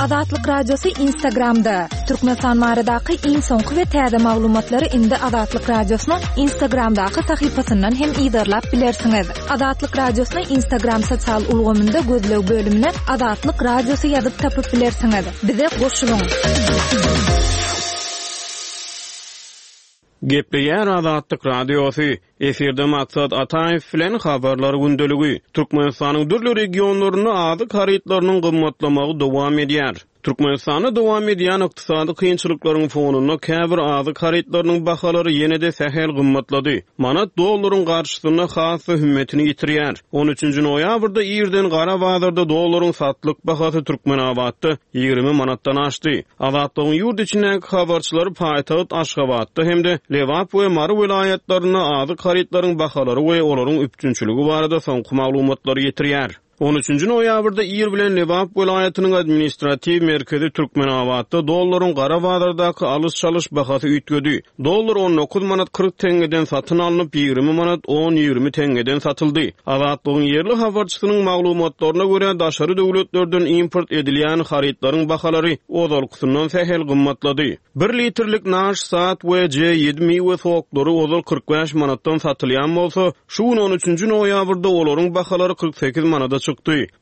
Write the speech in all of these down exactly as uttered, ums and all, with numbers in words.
Azatlyk Radiosy Instagramda. Türkmenistan baradaky iň soňky we täze maglumatlary indi Azatlyk Radiosynyň Instagramdaky sahypasyndan hem yzarlap bilersiňiz. Azatlyk Radiosyny Instagram sosial ulgamynda gözleg bölümine Azatlyk Radiosy ýazyp tapyp bilersiňiz. Bize goşulyň. Gepleýär Azatlyk Radiosy. Efirde Maksat Ataýew bilen habarlar gündeligi. Türkmenistanyň dürli regionlarynda azyk harytlarynyň gymmatlamagy dowam edýär. Türkmenistanda dowam edýän ykdysady kynçylyklaryň fonunda käbir azyk harytlarynyň bahalary ýene-de sähel gymmatlady. Manat dollaryň garşysynda has-da hümmetini ýitirýär. On üçünji noýabrda irden gara bazarda dollaryň satlyk bahasy Türkmenabatda ýigrimi manatdan aşdy. Azatlygyň ýurt içindäki habarçylary paýtagt Aşgabatda hem-de Lebap we Mary welaýatlarynda azyk harytlaryň bahalary we olaryň üpjünçiligi barada soňky maglumatlary ýetirýär. On üçünji noýabrda ir bilen Lebap welaýatynyň administratiw merkezi Türkmenabatda dollaryň gara bazardaky alyş-çalyş bahasy üýtgedi. Dollar on dokuz manat kyrk teňňeden satyn alnyp, ýigrimi manat on ýigrimi teňňeden satyldy. Azatlygyň ýerli habarçysynyň maglumatlaryna görä, daşary döwletlerden import edilýän harytlaryň bahalary ozalkysyndan sähel gymmatlady. Bir litrlik naş sat we C ýedi miwe soklary ozal kyrk bäş manatdan satylýan bolsa, şu gün on üçünji noýabrda olaryň bahalary kyrk sekiz manada çykdy.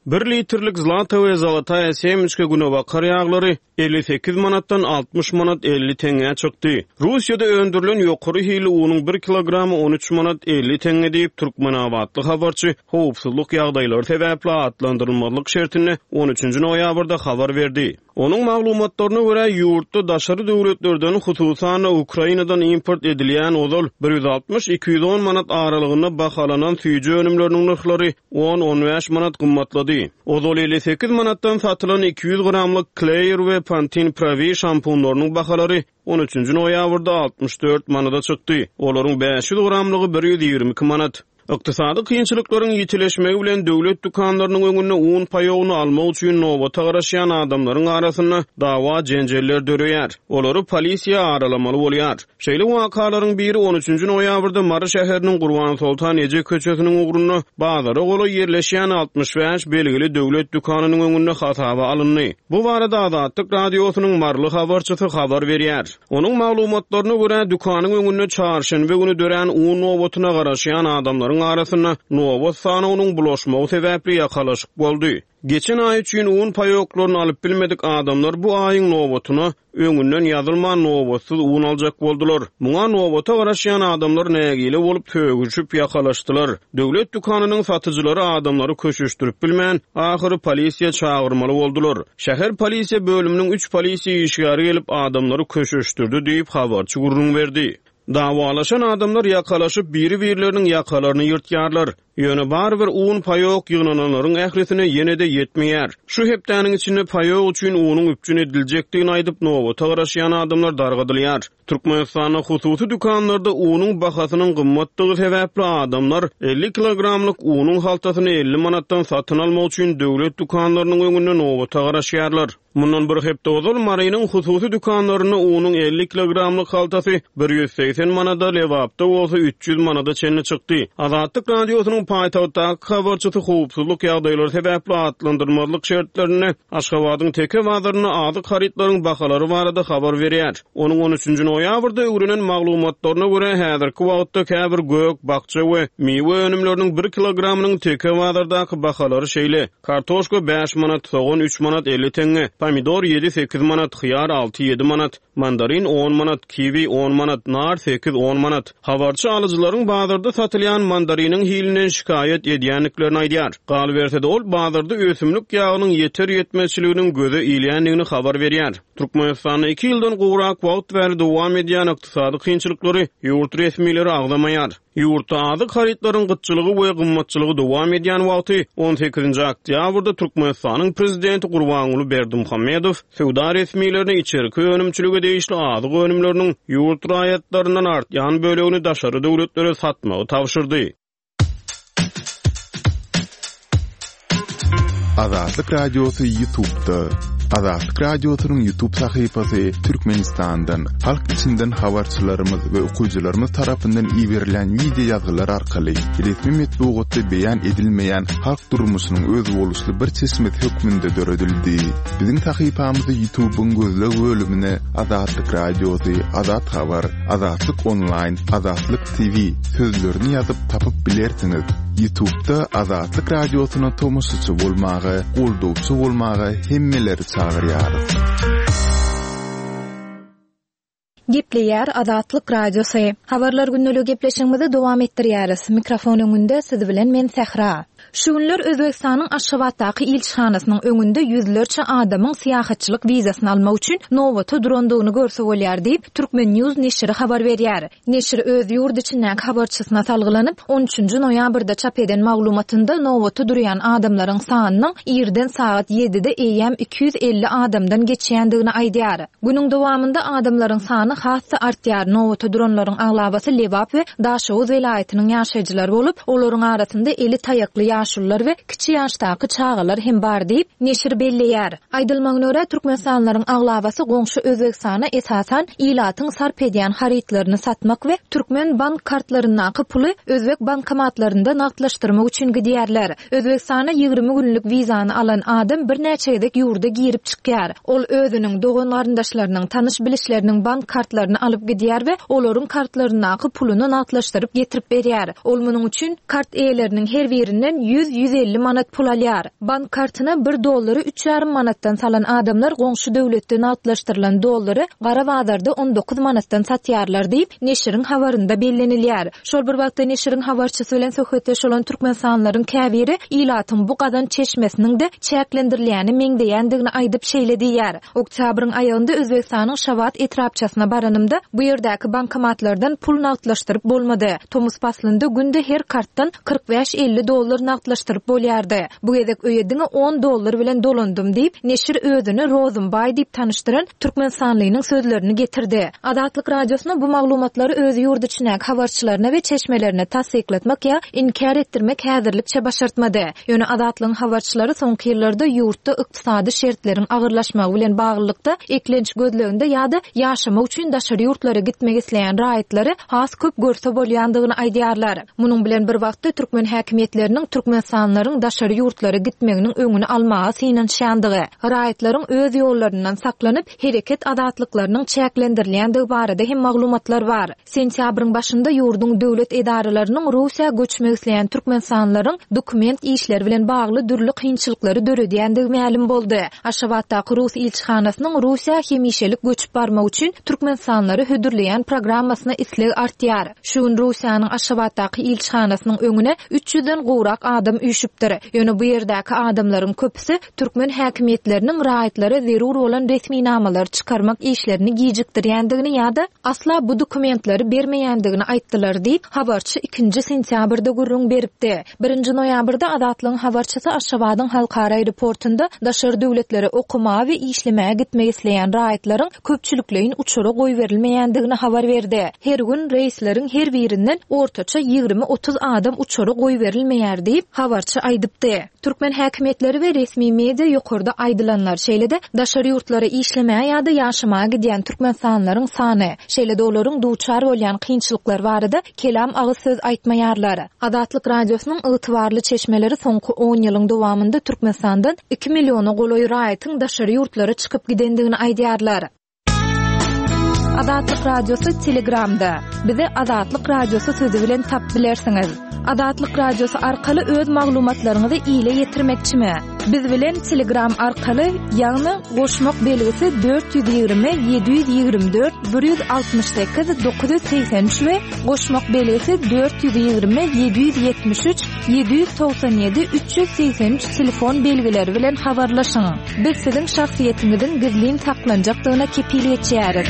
Bir litrlik zlata we zalataýa semiçka günebakar ýaglary elli sekiz manatdan altmyş manat elli teňňä çykdy. Russiýada öndürilen ýokary hilli unuň bir kilogramy on üç manat elli teňňe diýip, Türkmenabatly habarçy howpsuzlyk ýagdaýlary sebäpli atlandyrylmazlyk şertinde on üçünji noýabrda habar berdi. Onuň maglumatlaryna görä, ýurtda daşary döwletlerden, hususan-da Ukrainadan import edilýän ozal bir ýüz altmyş iki ýüz on manat aralygynda bahalanan süýji önümleriniň nyrhlary on on bäş manat gymmatlady. Ozal elli sekiz manatdan satylan iki ýüz gramlyk Claire we Pantene Pro-V şampunlarynyň bahalary on üçünji noýabrda altmyş dört manada çykdy. Olaryň bäş ýüz gramlygy bir ýüz ýigrimi iki manat. Ykdysady kynçylyklaryň ýitileşmegi bilen döwlet dükanlarynyň öňünde un paýogyny almak üçin nobata garaşýan adamlaryň arasynda dawa jenjeller döreýär. Olary polisiýa aralamaly bolýar. Şeýle wakalaryň biri on üçünji noýabrda Mary şäheriniň Gurbansoltan Eje köçesiniň ugrunda bazara golaý ýerleşýän altmyş bäş belgili döwlet dükanynyň öňünde hasaba alyndy. Bu barada Azatlyk Radiosynyň Maryly habarçysy habar berýär. Onuň maglumatlaryna görä, dükanyň öňünde çarşenbe güni dörän un nobatyna garaşýan adamlaryň arasynda nobat sanynyň bulaşmagy sebäpli ýakalaşyk boldy. Geçen aý üçin un paýoklaryny alyp bilmedik adamlar bu aýyň nobatyna öňünden ýazylman nobatsyz un aljak boldular. Muňa nobata garaşýan adamlar nägile bolup sögüşip ýakalaşdylar. Döwlet dükanynyň satyjylary adamlary köşeşdirip bilmän, ahyry polisiýa çagyrmaly boldular. Şäher polisiýa bölüminiň üç polisiýa işgäri gelip adamlary köşeşdirdi diýip habarçy gürrüň berdi. Davalaşan adamlar ýakalaşyp biri-birleriniň ýakalaryny ýyrtýarlar. Ýöne barybir un paýok ýygnananlaryň ählisine ýene-de ýetmeýär. Şu hepdäniň içinde paýok üçin unuň üpjün ediljekdigini aýdyp nobata garaşýan adamlar dargadylýar. Türkmenistanda hususy dükanlarda unuň bahasynyň gymmatdygy sebäpli adamlar elli kilogramlyk unuň haltasyny elli manatdan satyn almak üçin döwlet dükanlarynyň öňünde nobata garaşýarlar. Mundan bir hepde ozal Marynyň hususy dükanlarynda unuň elli kilogramlyk haltasy bir ýüz segsen manada, Lebapda bolsa üç ýüz manada çenli çykdy. Azatlyk Radiosynyň paýtagtdaky habarçysy howpsuzlyk ýagdaýlary sebäpli atlandyrmazlyk şertlerinde Aşgabadyň Teke bazarynda azyk harytlaryň bahalary barada habar berýär. Onuň on üçünji noýabrda öwrenen maglumatlaryna görä, häzirki wagtda käbir gök, bakja we miwe önümleriniň bir kilogramynyň Teke bazardaky bahalary şeýle: kartoşka bäş manat, sogan üç manat elli teňňe, pomidor ýedi sekiz manat, hyýar alty ýedi manat, mandarin on manat, kiwi on manat, nar sekiz on manat. Habarçy alyjylaryň bazarda satylýan mandariniň hilinden şikaýat edýändiklerini aýdýar. Galyberse-de ol bazarda ösümlik ýagynyň ýeter ýetmezçiliginiň göze ilýändigini habar berýär. Türkmenistanda iki ýyldan gowrak wagt bäri dowam edýän ykdysady kynçylyklary ýurt resmileri agzamaýar. Ýurtda azyk harytlaryň gytçylygy we gymmatçylygy dowam edýän wagty on sekizinji oktýabrda Türkmenistanyň prezidenti Gurbanguly Berdimuhamedow söwda resmilerine içerki önümçilige degişli azyk önümleriniň ýurt raýatlaryndan artýan bölegini daşary döwletlere satmagy tabşyrdy. Azatlyk Radiosy YouTube'da. Azatlyk Radiosynyň YouTube sahypasy Türkmenistandan, halk içinden habarçylarymyz we okyjylarymyz tarapyndan iberilen wideo ýazgylar arkaly resmi metbugatda beýan edilmeýän halk durmuşynyň özboluşly bir çeşmesi hökmünde döredildi. Biziň sahypamyzy YouTube'yň gözleg bölümine Azatlyk Radiosy, Azat Habar, Azatlyk Online, Azatlyk T V sözlerini ýazyp tapyp bilersiňiz. YouTube'da Azatlyk Radiosyna tomaşaçy bolmaga, goldawçy bolmaga hemmeleri çagyrýarys. Gepleýär Azatlyk Radiosy. Habarlar günlügi gepleşigimizi dowam etdirýäris. Mikrofon öňünde siz bilen men Sähra. Şu günler Özbegistanyň Aşgabatdaky ilçihanasynyň öňünde ýüzlerçe adamyň syýahatçylyk wizasyny almak üçin nobata durandygyny görse bolýar diýip, Türkmen News neşiri habar berýär. Neşir öz ýurt içindäki habarçysyna salgylanyp, on üçünji noýabrda çap eden maglumatynda nobata durýan adamlaryň sanynyň irden sagat ýedide eýýäm iki ýüz elli adamdan geçýändigini aýdýar. Günüň dowamynda adamlaryň sany has-da artýar. Nobata duranlaryň aglabasy Lebap we Daşoguz welaýatynyň ýaşaýjylary bolup, olaryň arasynda eli taýakly ýaşulular we kiçi ýaşdaky çagalar hem bar diýip, neşir belleýär. Aýdylmagyna görä, Türkmenistanlylaryň aglabasy goňşy Özbegistana esasan ilatyň sarp edýän harytlaryny satmak we türkmen bank kartlaryndaky puly özbek bankomatlarynda nagtlaşdyrmak üçin gidýärler. Özbegistana ýigrimi günlük wizany alan adam birnäçe gezek ýurda girip çykýar. Ol özüniň dogan garyndaşlarynyň, tanyş bilişleriniň bank kartlaryny alyp gidýär we olaryň kartlaryndaky puluny nagtlaşdyryp getirip berýär. Ol munuň üçin kart eýeleriniň her birinden ýüz, ýüz elli manat pul alýar. Bank kartyna bir dollary üç ýarym manatdan salan adamlar goňşy döwletde nagtlaşdyrylan dollary gara bazarda on dokuz manatdan satýarlar diýip, neşiriň habarynda bellenilýär. Şol bir wagtda neşiriň habarçysy bilen söhbetdeş bolan türkmenistanlylaryň käbiri ilatyň bu gazan çeşmesiniň de çäklendirilýäni meňzeýändigini aýdyp şeýle diýýär. Oktýabryň aýagynda Özbegistanyň Şabat etrapçasyna baranymda bu ýerdäki bankomatlardan pul nagtlaşdyryp bolmady. Tomus paslynda günde her kartdan kyrk bäş elli dollar nagtlaşdyryp bolýardy. Bu gezek öýe diňe on dollar bilen dolandym diýip, neşir özüni Rozumbaý diýip tanyşdyran türkmenistanlynyň sözlerini getirdi. Azatlyk Radiosyna bu maglumatlary öz ýurt içindäki habarçylaryna we çeşmelerine tassyklatmak ýa inkär etdirmek häzirlikçe başartmady. Ýöne Azatlygyň habarçylary soňky ýyllarda ýurtda ykdysady şertleriň agyrlaşmagy bilen baglylykda eklenç gözleginde ýa-da ýaşamak üçin daşary ýurtlara gitmek isleýän raýatlary has köp görse bolýandygyny aýdýarlar. Munuň bilen bir wagtda türkmen häkimiýetleriniň türkmenistanlylaryň daşary ýurtlara gitmeginiň öňüni almaga synanyşýandygy, raýatlaryň öz ýollaryndan saklanyp, hereket azatlyklarynyň çäklendirilýändigi barada hem maglumatlar bar. Sentýabryň başynda ýurduň döwlet edaralarynyň Russiýa göçmek isleýän türkmenistanlylaryň dokument işleri bilen bagly dürli kynçylyklary döredýändigi mälim boldy. Aşgabatdaky Rus ilçihanasynyň Russiýa hemişelik göçüp barmak üçin türkmenistanlylary hödürleýän programmasyna isleg artýar. Şu gün Russiýanyň Aşgabatdaky ilçihanasynyň öňüne üç ýüzden gowrak adam üýşüpdir. Ýöne bu ýerdäki adamlaryň köpüsi türkmen häkimiýetleriniň raýatlara zerur bolan resminamalary çykarmak işlerini gijikdirýändigini ýa-da asla bu dokumentleri bermeýändigini aýtdylar diýip, habarçy ikinji sentýabrda gürrüň beripdi. Birinji noýabrda Azatlygyň habarçysy Aşgabadyň halkara aeroportunda daşary döwletlere okamaga we işlemäge gitmek isleýän raýatlaryň köpçülikleýin uçara goýberilmeýändigini habar berdi. Her gün reýsleriň her birinden ortaça ýigrimi otuz adam uçara goýberilmeýär diýip, habarçy aýdypdy. Türkmen häkimiýetleri we resmi media ýokarda aýdylanlar, şeýle-de daşary ýurtlara işlemäge ýa-da ýaşamaga gidýän türkmenistanlylaryň sany, şeýle-de olaryň duçar bolýan kynçylyklar barada kelam agyz söz aýtmaýarlar. Azatlyk Radiosynyň ygtybarly çeşmeleri soňky on ýylyň dowamynda Türkmenistandan iki milliona golaý raýatyň daşary ýurtlara çykyp gidendigini aýdýarlar. Azatlyk Radiosy Telegramda. Bizi Azatlyk Radiosy sözü bilen tap bilersiňiz. Azatlyk Radiosy arkaly öz maglumatlaryňyzy ile ýetirmekçimi? Biz bilen Telegram arkaly, ýagny goşmak belgisi dört ýüz ýigrimi, ýedi ýüz ýigrimi dört, bir ýüz altmyş sekiz, dokuz ýüz segsen üç we goşmak belgisi dört ýüz ýigrimi, ýedi ýüz ýetmiş üç, ýedi ýüz togsan ýedi, üç ýüz segsen üç telefon belgileri bilen habarlaşyň. Biz siziň şahsyýetiňiziň gizlin saklanjakdygyna kepil geçýäris.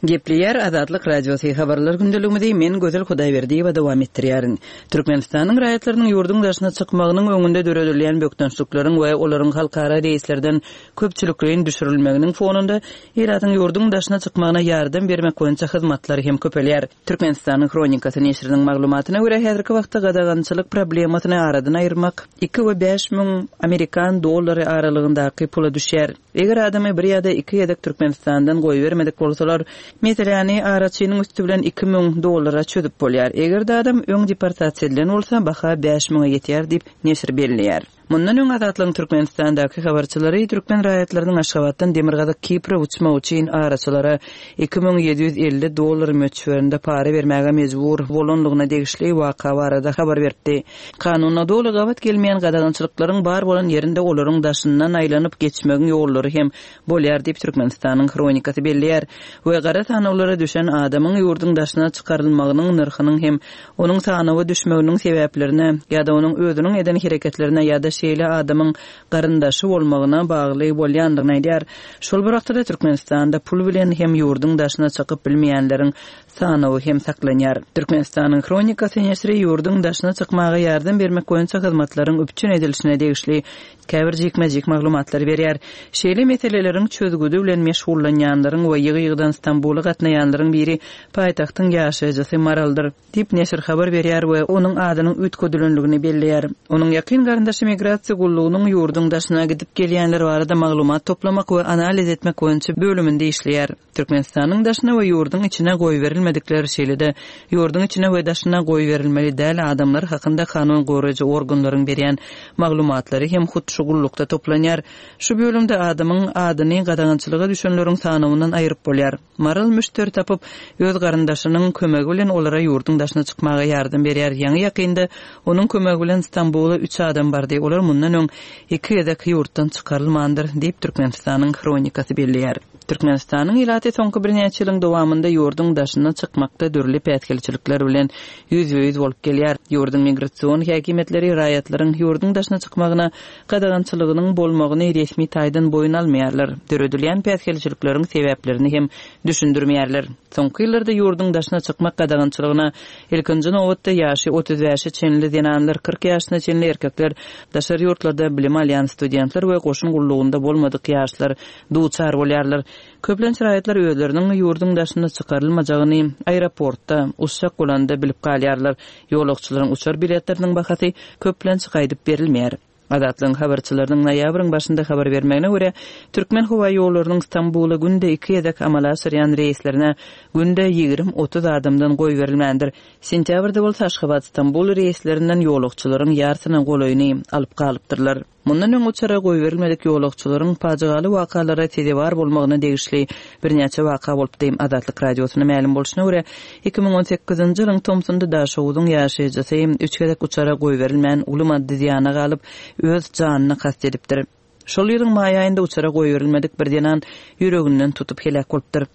Gepleýär Azatlyk Radiosy habarlar gündeligimizi men Gözel Hudaýberdiýewa dowam etdirýärin. Türkmenistanyň raýatlarynyň ýurduň daşyna çykmagynyň öňünde döredilýän bökdençlikleriň we olaryň halkara reýslerden köpçülikleýin düşürilmeginiň fonunda ilatyň ýurduň daşyna çykmagyna ýardam bermek boýunça hyzmatlar hem köpelýär. Türkmenistanyň Hronikasy neşiriniň maglumatyna görä häzirki wagtda gadagançylyk problemasyny aradan aýyrmak iki we bäş müň amerikan dollary aralygyndaky pula düşýär. Eger adamy bir ýa-da iki gezek Türkmenistandan goýbermedik bolsalar, meseläni araçynyň üsti bilen iki müň dollara çözüp bolýar. Eger-de adam öň deportasiýa edilen bolsa, baha bäş müňe ýetýär diýip, neşir belleýär. Mundan öň Azatlygyň Türkmenistandaky habarçylary türkmen raýatlarynyň Aşgabatdan Demirgazyk Kipre uçmak üçin araçylara iki müň ýedi ýüz elli dollar möçberinde para bermäge mejbur bolanlygyna degişli waka barada habar beripdi. Kanuna doly gabat gelmeýän gadagançylyklaryň bar bolan ýerinde olaryň daşyndan aýlanyp geçmegiň ýollary hem bolýar diýip Türkmenistanyň Hronikasy belleýär we gara sanawlara düşen adamyň ýurduň daşyna çykarylmagynyň nyrhynyň hem onuň sanawa düşmeginiň sebäplerine ýa-da onuň özüniň eden hereketlerine ýa-da şeýle adamyň garyndaşy bolmagyna bagly bolýandygyny aýdýar. Şol bir wagtda Türkmenistanda pul bilen hem ýurduň daşyna çykyp bilmeýänleriň sanawy hem saklanýar. Türkmenistanyň Hronikasy neşiri ýurduň daşyna çykmaga ýardam bermek boýunça hyzmatlaryň üpjün edilişine degişli käbir jikme-jik maglumatlary berýär. Şeýle meseleleriň çözgüdi bilen meşgullanýanlaryň we ýygy-ýygydan Stambula gatnaýanlaryň biri paýtagtyň ýaşaýjysy Maraldyr diýip neşir habar berýär we onuň adynyň üýtgedilenligini belleýär. Onuň ýakyn garyndaşy migrasiýa gullugynyň ýurduň daşyna gidip gelýänler barada maglumat toplamak we analiz etmek boýunça bölüminde işleýär. Türkmenistanyň daşyna we ýurduň içine goýberilmedikler, şeýle-de ýurduň içine we daşyna goýberilmeli däl adamlar hakynda kanun goraýjy organlaryň berýän maglumatlary hem hut şu gullukda toplanýar. Şu bölümde adamyň adyny gadagançylyga düşenleriň sanawyndan aýryp bolýar. Maral müşderi tapyp, öz garyndaşynyň kömegi bilen olara ýurduň daşyna çykmaga ýardam berýär. Ýaňy ýakynda onuň kömegi bilen Stambula üç adam bardy. Olar mundan öň iki gezek ýurtdan çykarylmandyr diýip Türkmenistanyň Hronikasy belleýär. Türkmenistanyň ilaty soňky birnäçe ýylyň dowamynda ýurduň daşyna çykmakda dürli päsgelçilikler bilen ýüzbe-ýüz bolup gelýär. Ýurduň migrasion häkimiýetleri raýatlaryň ýurduň daşyna çykmagyna gadagançylygynyň bolmagyny resmi taýdan boýun almaýarlar. Döredilýän päsgelçilikleriň sebäplerini hem düşündirmeýärler. Soňky ýyllarda ýurduň daşyna çykmak gadagançylygyna ilkinji nobatda ýaşy otuz bäşe çenli zenanlar, kyrk ýaşyna çenli erkekler, daşary ýurtlarda bilim alýan studentler we goşun gullugynda bolmadyk ýaşlar duçar bolýarlar. Köplenç raýatlar özleriniň ýurduň daşyna çykarylmajagyny aeroportda uçak bolanda bilip galýarlar. Ýolagçylaryň uçar biletleriniň bahasy köplenç gaýdyp berilmeýär. Azatlygyň habarçylarynyň noýabryň başynda habar bermegine görä, Türkmen howa ýollarynyň Stambula günde iki gezek amala aşyrýan reýslerine günde ýigrimi otuz adamdan goýberilmändir. Sentýabrda bolsa Aşgabat Stambul reýslerinden ýolagçylaryň ýarsyna golaýyny alyp galypdyrlar. Mundan öň uçara goýberilmedik ýolagçylaryň pajygaly wakalara sezewar bolmagyna degişli birnäçe waka bolupdy. Azatlyk Radiosyna mälim bolşuna görä, iki müň on sekizinji ýylyň tomsunda Daşoguzyň ýaşaýjysy üç gezek uçara goýberilmän uly maddy zyýana galyp, öz janyna kast edipdir. Şol ýylyň maý aýynda uçara goýberilmedik bir zenan ýüreginden tutup heläk bolupdyr.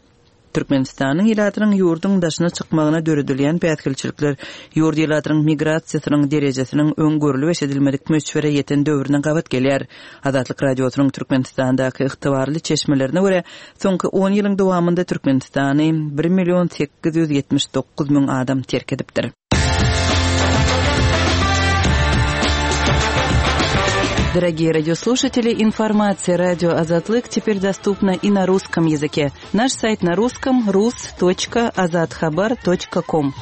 Türkmenistanyň ilatynyň ýurduň daşyna çykmagyna döredilýän päsgelçilikler ýurt ilatynyň migrasiýasynyň derejesiniň öň görülip eşidilmedik möçbere ýeten döwrüne gabat gelýär. Azatlyk Radiosynyň Türkmenistandaky ygtybarly çeşmelerine görä, soňky on ýylyň dowamynda Türkmenistany bir million sekiz ýüz ýetmiş dokuz müň adam terk edipdir. Дорогие радиослушатели, информация радио Азатлык теперь доступна и на русском языке. Наш сайт на русском рус точка азатхабар точка ком.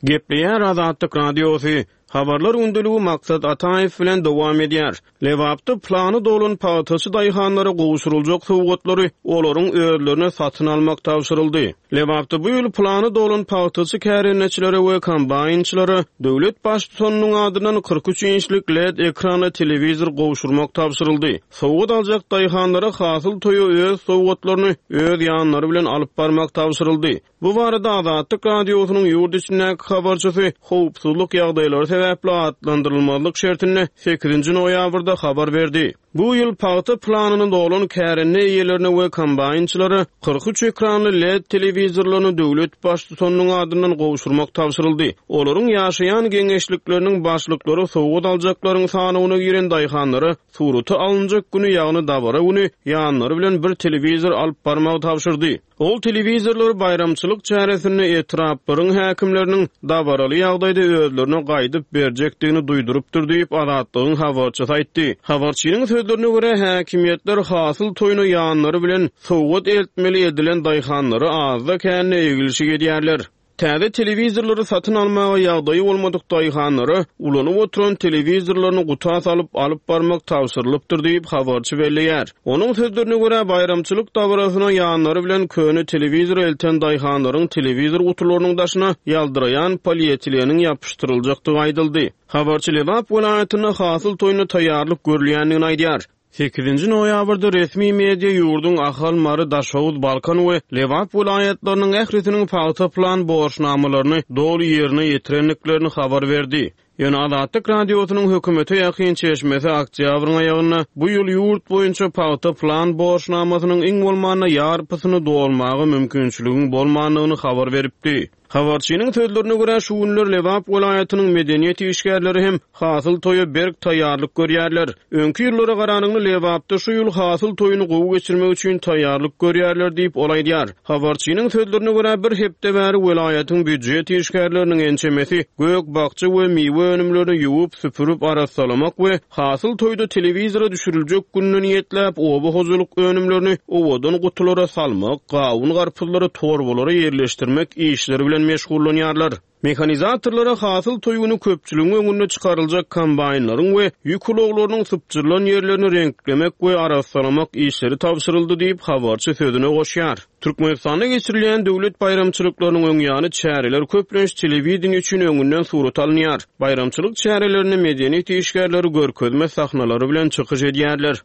Gepleýär Azatlyk Radiosy. Habarlar gündeligi Maksat Ataýew bilen dowam edýär. Lebapda plany dolan pagtaçy daýhanlara gowşuryljak sowgatlary olaryň özlerine satyn almak tabşyryldy. Lebapda bu ýyl plany dolan pagtaçy kärendeçilere we kombaýnçylara döwlet baştutanynyň adyndan kyrk üç inçlik L E D ekranly telewizor gowşurmak tabşyryldy. Sowgat aljak daýhanlara hasyl toýy öz sowgatlaryny öz ýanlary bilen alyp barmak tabşyryldy. Bu barada Azatlyk Radiosynyň ýurt içindäki habarçysy howpsuzlyk ýagdaýlary sebäpli atlandyrylmazlyk şertinde sekizinji noýabrda habar berdi. Bu ýyl pagta planyny dolan kärende eýelerine we kombaýnçylara kyrk üç ekranly L E D telewizorlaryny döwlet baştutanynyň adyndan gowşurmak tabşyryldy. Olaryň ýaşaýan geňeşlikleriniň başlyklary sowgat aljaklaryň sanyna giren daýhanlara surata alynjak güni, ýagny dabara güni ýanlary bilen bir telewizor alyp barmagy tabşyrdy. Ol telewizorlar baýramçylyk çäresinde etraplaryň häkimleriniň dabaraly ýagdaýda özlerine gaýdyp berjekdigini duýdurypdyr diýip Azatlygyň habarçysy aýtdy. Habarçynyň sözlerine görä häkimiýetler hasyl toýuna ýanlary bilen sowgat eltmeli edilen daýhanlara azda kände egilşik edýärler. Täze telewizorlary satyn almaga ýagdaýy bolmadyk daýhanlara ulanyp oturan telewizorlaryny guta salyp alyp barmak tabşyrylypdyr diýip habarçy belleýär. Onuň sözlerine görä baýramçylyk dabarasyna ýanlary bilen köne telewizor elten daýhanlaryň telewizor gutularynyň daşyna ýaldyraýan polietileniň ýapyşdyryljakdygy aýdyldy. Habarçy Lebap welaýatynda hasyl toýuna taýýarlyk görülýändigini aýdýar. Sekizinji noýabrda resmi media ýurduň Ahal, Mary, Daşoguz, Balkan we Lebap welaýatlarynyň ählisiniň pagta plan borçnamalaryny doly ýerine ýetirendiklerini habar berdi. Ýöne Azatlyk radiosynyň hökümete ýakyn çeşmesi oktýabryň aýagynda bu ýyl ýurt boýunça pagta plan borçnamasynyň iň bolmanda ýarpysyny dolmaga mümkinçiligiň bolmandygyny habar beripdi. Habarçynyň sözlerine görä şu günler Lebap welaýatynyň medeniýet işgärleri hem hasyl toýa berk taýýarlyk görýärler. Öňki ýyllara garanyňda Lebapda şu ýyl hasyl toýuny gowy geçirmek üçin taýýarlyk görýärler diýip ol aýdýar. Habarçynyň sözlerine görä bir hepde bäri welaýatyň býujet işgärleriniň ençemesi gök bakja we miwe önümlerini ýuwup, süpürip arassalamak we hasyl toýda telewizora düşüriljek gününe niýetläp oba hojalyk önümlerini owadan gutulara salmak, gawun garpyzlary torbalara ýerleşdirmek işleri bilen meşgullanýarlar. Mehanizatorlara hasyl toýuny köpçüligiň öňünde çykaryljak kombaýnlaryň we ýük ulaglarynyň sypjyrylan ýerlerini reňklemek we arassalamak işleri tabşyryldy diýip habarçy sözüne goşýar. Türkmenistanda geçirilýän döwlet baýramçylyklarynyň öň ýany çäreler köplenç telewideniýe üçin öňünden surat alynýar. Baýramçylyk çärelerinde medeniýet işgärleri görkezme sahnalary bilen çykyş edýärler.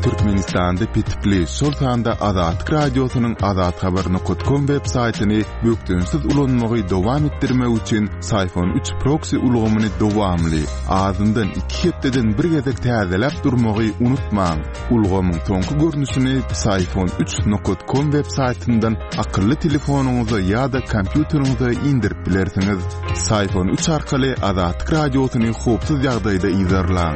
Türkmenistanda petikli, şol sanda Azatlyk radiosynyň azathabar nokta com web saýtyny bökdençsiz ulanmagy dowam etdirmek üçin Syfon üç proxy ulgamyny dowamly, azyndan iki hepdeden bir gezek täzeläp durmagy unutmaň. Ulgamyň soňky görnüşini Syfon üç nokta com web saýtyndan akylly telefonyňyza ýa-da kompýuteriňize indirip bilersiňiz. Syfon üç arkaly Azatlyk radiosyny howpsuz ýagdaýda yzarlaň.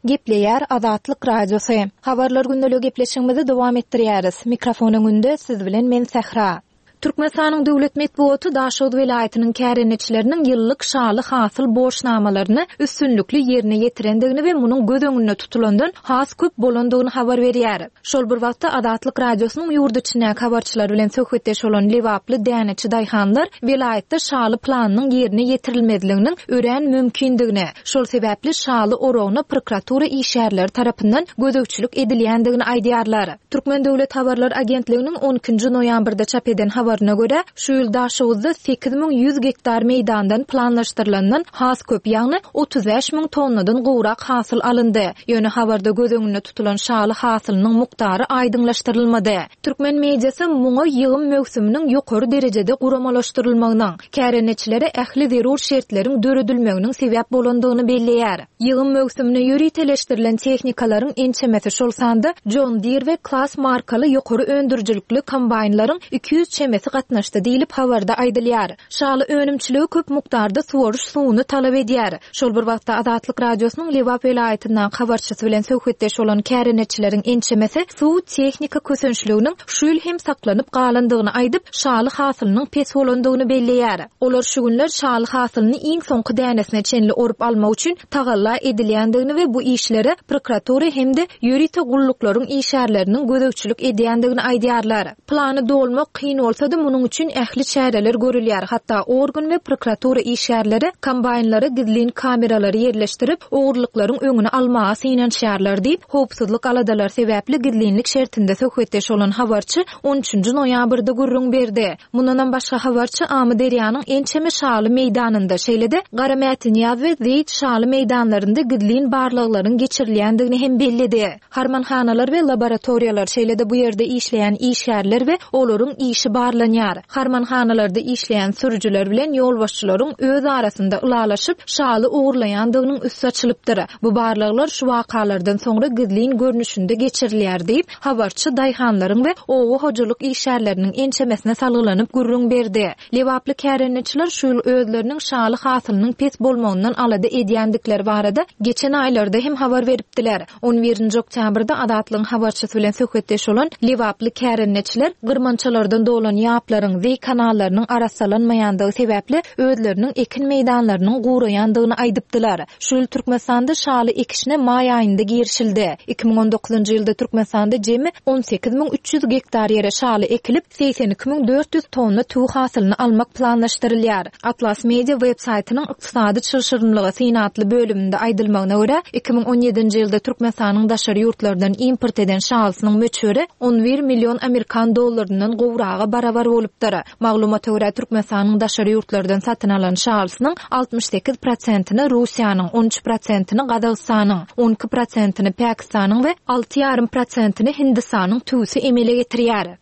Gepleýär Azatlyk Radiosy. Habarlar gündelik gepleşigimizi dowam etdirýäris. Mikrofon öňünde siz bilen men Sähra. Türkmenistanyň döwlet metbugaty Daşoguz welaýatynyň kärendeçileriniň ýyllyk şaly hasyl borçnamalaryny üstünlikli ýerine ýetirendigini we munuň göz öňünde tutulandan has köp bolandygyny habar berýär. Şol bir wagtda Azatlyk Radiosynyň ýurt içindäki habarçylar bilen söhbetdeş bolan Lebaply däneçi daýhanlar welaýatda şaly planynyň ýerine ýetirilmezliginiň örän mümkindigini, şol sebäpli şaly oragyna prokuratura işgärleri tarapyndan gözegçilik edilýändigini aýdýarlar. Türkmen Döwlet Habarlar Agentliginiň on ikinji noýabrda çap eden habaryna görä, şu ýyl Daşoguzda sekiz müň ýüz gektar meýdandan planlaşdyrylandan has köp, ýagny otuz bäş müň tonnadan gowrak hasyl alyndy. Ýöne habarda göz öňünde tutulan şaly hasylynyň mukdary aýdyňlaşdyrylmady. Türkmen mediasy muňa ýygym möwsüminiň ýokary derejede guramalaşdyrylmagynyň, kärendeçilere ähli zerur şertleriň döredilmeginiň sebäp bolandygyny belleýär. Ýygym möwsümine ýöriteleşdirilen tehnikalaryň ençemesi şol sanda John Deere we Claas markaly ýokary öndürijilikli kombaýnlaryň iki ýüz çemesi gatnaşdy diýlip habarda aýdylýar. Şaly önümçiligi köp mukdarda suwaryş suwuny talap edýär. Şol bir wagtda Azatlyk Radiosynyň Lebap welaýatyndan habarçysy bilen söhbetdeş bolan kärendeçileriň ençemesi suw tehnika kösençliginiň şu ýyl hem saklanyp galandygyny aýdyp, şaly hasylynyň pes bolandygyny belleýär. Olar şu günler şaly hasylyny iň soňky dänesine çenli orup almak üçin tagalla edilýändigini we bu işlere prokuratura hem-de ýörite gulluklaryň işgärleriniň gözegçilik edýändigini aýdýarlar. Plany dolmak kyn bolsa-da munuň üçin ähli çäreler görülýär. Hatda organ we prokuratura işgärleri kombaýnlara gizlin kameralary ýerleşdirip, ogurlyklaryň öňüni almaga synanyşýarlar diýip, howpsuzlyk aladalary sebäpli gizlinlik şertinde söhbetdeş bolan habarçy on üçünji noýabrda gürrüň berdi. Mundan başga habarçy Amyderýanyň ençeme şaly meýdanynda, şeýle-de Garamätinýaz we Zeýt şaly meýdanlarynda gizlin barlaglaryň geçirilýändigini hem belledi. Harmanhanalar we laboratoriýalar, şeýle-de bu ýerde işleýän işgärler we olaryň işi barlanylýar. barlanýar. Harmanhanalarda işleýän sürüjiler bilen ýolbaşçylaryň öz arasynda ylalaşyp, şaly ogurlaýandygynyň üsti açylypdyr. Bu barlaglar şu wakalardan soňra gizlin görnüşinde geçirilýär diýip, habarçy daýhanlaryň we oba hojalyk işgärleriniň ençemesine salgylanyp gürrüň berdi. Lebaply kärendeçiler şu ýyl özleriniň şaly hasylynyň pes bolmagyndan alada edýändikleri barada geçen aýlarda hem habar beripdiler. On birinji oktýabrda Azatlygyň habarçysy bilen söhbetdeş bolan Lebaply kärendeçiler gyrmançalardan dolan ýaplaryň, zeý kanallarynyň arassalanmaýandygy sebäpli özleriniň ekin meýdanlarynyň guraýandygyny aýdypdylar. Şu ýyl Türkmenistanda şaly ekişine maý aýynda girişildi. Iki müň on dokuzynjy ýylda Türkmenistanda jemi on sekiz müň üç ýüz gektar ýere şaly ekilip, segsen iki müň dört ýüz tonna tüwi hasylyny almak planlaşdyrylýar. Atlas Media web saýtynyň ykdysady çylşyrymlyga syn atly bölüminde aýdylmagyna görä, iki müň on ýedinji ýylda Türkmenistanyň daşary ýurtlardan import eden şalysynyň möçberi on bir million amerikan dollaryndan gowraga barabar bolupdyr. Maglumata görä, Türkmenistanyň daşary ýurtlardan satyn alan şalysynyň altmyş sekiz prosentini Russiýanyň, on üç prosentini Gazagystanyň, on iki prosentini Pakistanyň we alty ýarym prosentini Hindistanyň tüwüsi emele getirýär.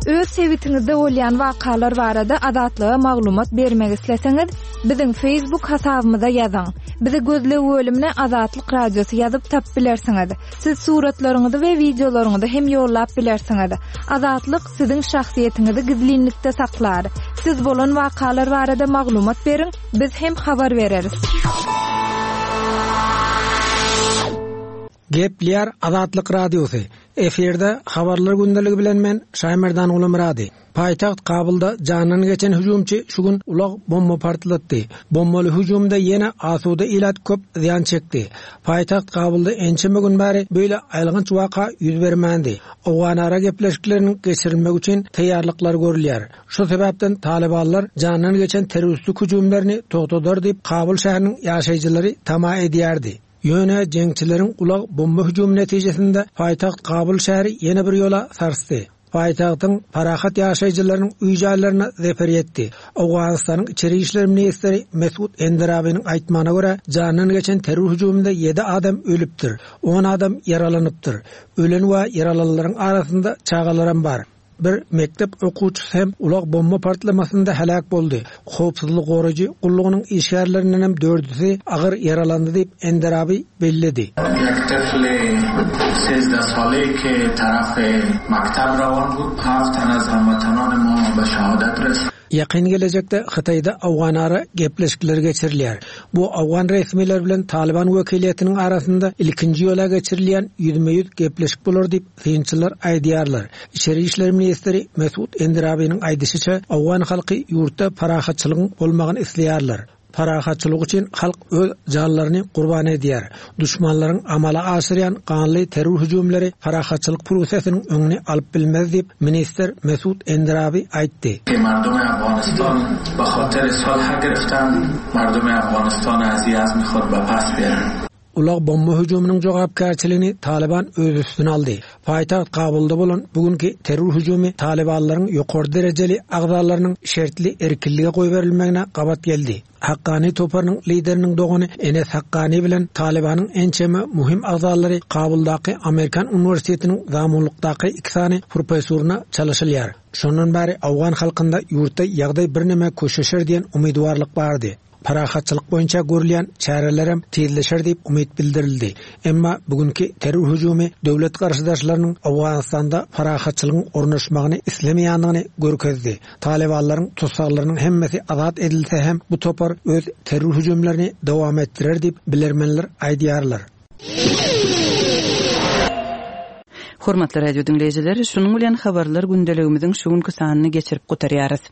Öz sebitiňizde bolýan wakalar barada Azatlyga maglumat bermek isleseňiz, biziň Facebook hasabymyza ýazyň. Bizi gözleg bölümine Azatlyk Radiosy ýazyp tap bilersiňiz. Siz suratlaryňyzy we wideolaryňyzy hem ýollap bilersiňiz. Azatlyk siziň şahsyýetiňizi gizlinlikde saklar. Siz bolan wakalar barada maglumat beriň, biz hem habar bereris. Gepler Azatlyk Radiosy. Efirde habarlar gündeligi bilen men Şaýmerdan Gulumyrady. Paýtagt Kabulda jandan geçen hüjümçi şu gün ulag bomba partlatdy. Bombaly hüjümde ýene asuda ilat köp zyýan çekdi. Paýtagt Kabulda ençeme gün bäri beýle aýylganç waka ýüz bermändi. Owganara gepleşikleriniň geçirilmegi üçin taýýarlyklar görülýär. Şu sebäpden Talibanlar jandan geçen terroristlik hüjümlerini togtadar diýip Kabul şäheriniň ýaşaýjylary tama edýärdi. Ýöne jeňçileriň ulag bomba hüjümi netijesinde paýtagt Kabul şäheri ýene bir ýola sarsdy. Paýtagtyň parahat ýaşaýjylarynyň öý jaýlaryna zeper ýetdi. Owganystanyň içeri işler ministri Mesud Enderabiniň aýtmagyna görä, jandan geçen terror hüjüminde ýedi adam ölüpdir, on adam ýaralanypdyr. Ölen we ýaralanlaryň arasynda çagalaram bar. Bir mektep okuwçysy hem ulag bomba partlamasynda helak boldy. Howpsuzlyk goraýjy gullugynyň işgärlerinden hem dördüsi agyr ýaralandy diýip Enderabi belledi. یک طفل سیزده ساله که طرف مکتب روان بود، هفت تن از هموطنان ما به شهادت رسید. Ýakyn gelejekde Hytaýda Owganara gepleşikler geçirilýär. Bu Owgan resmiler bilen Taliban wekiliýetiniň arasynda ilkinji ýola geçirilýän ýüzme-ýüz gepleşik bolar diýip synçylar aýdýarlar. Içeri işler ministri Mesud Enderabiniň aýdyşyça, Owgan halky ýurtda parahatçylygyň bolmagyny isleýärler. Parahatçylyk üçin halk öz janlaryny gurban edýär. Düşmanlaryň amala aşyrýan ganly terror hüjümleri parahatçylyk prosesiniň öňüni alyp bilmez diýip ministr Mesud Enderabi aýtdy. Mardum Afghanistan به خاطر صلح گرفتن، مردم Afghanistan از یزم خود به پس بیارن. Ulag bomba hüjüminiň jogapkärçiligini Taliban öz üstüne aldy. Paýtagt Kabulda bolan bugünkü terror hüjümi Talibanlaryň ýokary derejeli agzalarynyň şertli erkinlige goýberilmegine gabat geldi. Hakkani toparynyň lideriniň dogany Enes Hakkani bilen Talibanyň ençeme muhim agzalary Kabuldaky Amerikan uniwersitetiniň zamunlykdaky iki sany professoryna çalışylýar. Şondan bäri Awgan halkynda ýurtda ýagdaý birneme köşeşer diýen umytwarlyk bardy. Parahatçylyk boýunça görülýän çärelerem tizleşer diýip umyt bildirildi. Emma bugünkü terror hüjümi döwlet garşydaşlarynyň Owganystanda parahatçylygyň ornaşmagyny islemeýändigini görkezdi. Talibanlaryň tussaglarynyň hemmesi azat edilse hem bu topar öz terror hüjümlerini dowam etdirer diýip bilermenler aýdýarlar. Hormatly radio diňleýjiler, şunuň bilen habarlar gündeligimiziň şu günki sanyny geçirip gutarýarys.